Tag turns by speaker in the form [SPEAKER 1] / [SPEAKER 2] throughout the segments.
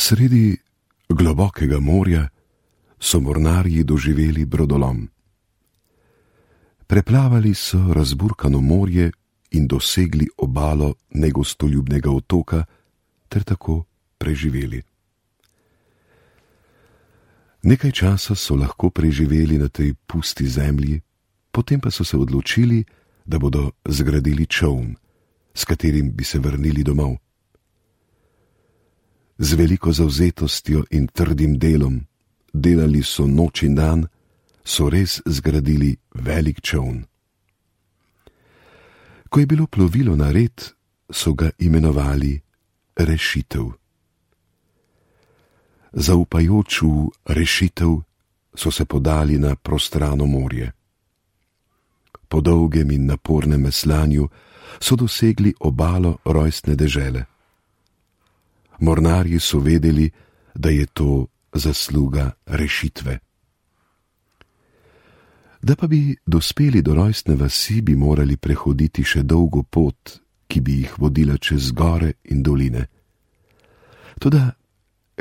[SPEAKER 1] Sredi globokega morja so mornarji doživeli brodolom. Preplavali so razburkano morje in dosegli obalo negostoljubnega otoka ter tako preživeli. Nekaj časa so lahko preživeli na tej pusti zemlji, potem pa so se odločili, da bodo zgradili čoln, s katerim bi se vrnili domov. Z veliko zavzetostjo in trdim delom, delali so noč in dan, so res zgradili velik čoln. Ko je bilo plovilo nared, so ga imenovali Rešitev. Zaupajoč v rešitev so se podali na prostrano morje. Po dolgem in napornem veslanju so dosegli obalo rojstne dežele. Mornarji so vedeli, da je to zasluga rešitve. Da pa bi dospeli do rojstne vasi, bi morali prehoditi še dolgo pot, ki bi jih vodila čez gore in doline. Toda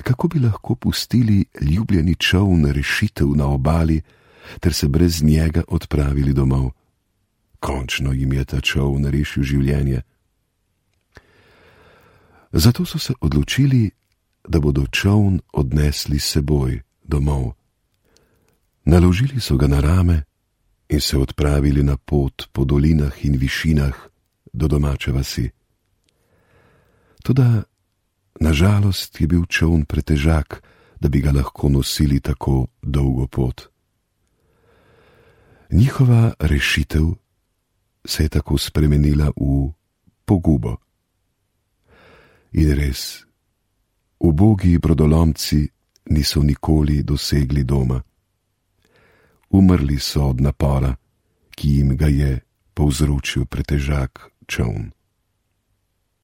[SPEAKER 1] kako bi lahko pustili ljubljeni čoln Rešitev na obali ter se brez njega odpravili domov? Končno jim je ta čoln rešil življenje. Zato so se odločili, da bodo čoln odnesli s seboj domov. Naložili so ga na rame in se odpravili na pot po dolinah in višinah do domače vasi. Toda na žalost je bil čoln pretežak, da bi ga lahko nosili tako dolgo pot. Njihova rešitev se je tako spremenila v pogubo. In res, ubogi brodolomci niso nikoli dosegli doma. Umrli so od napora, ki jim ga je povzročil pretežak čoln.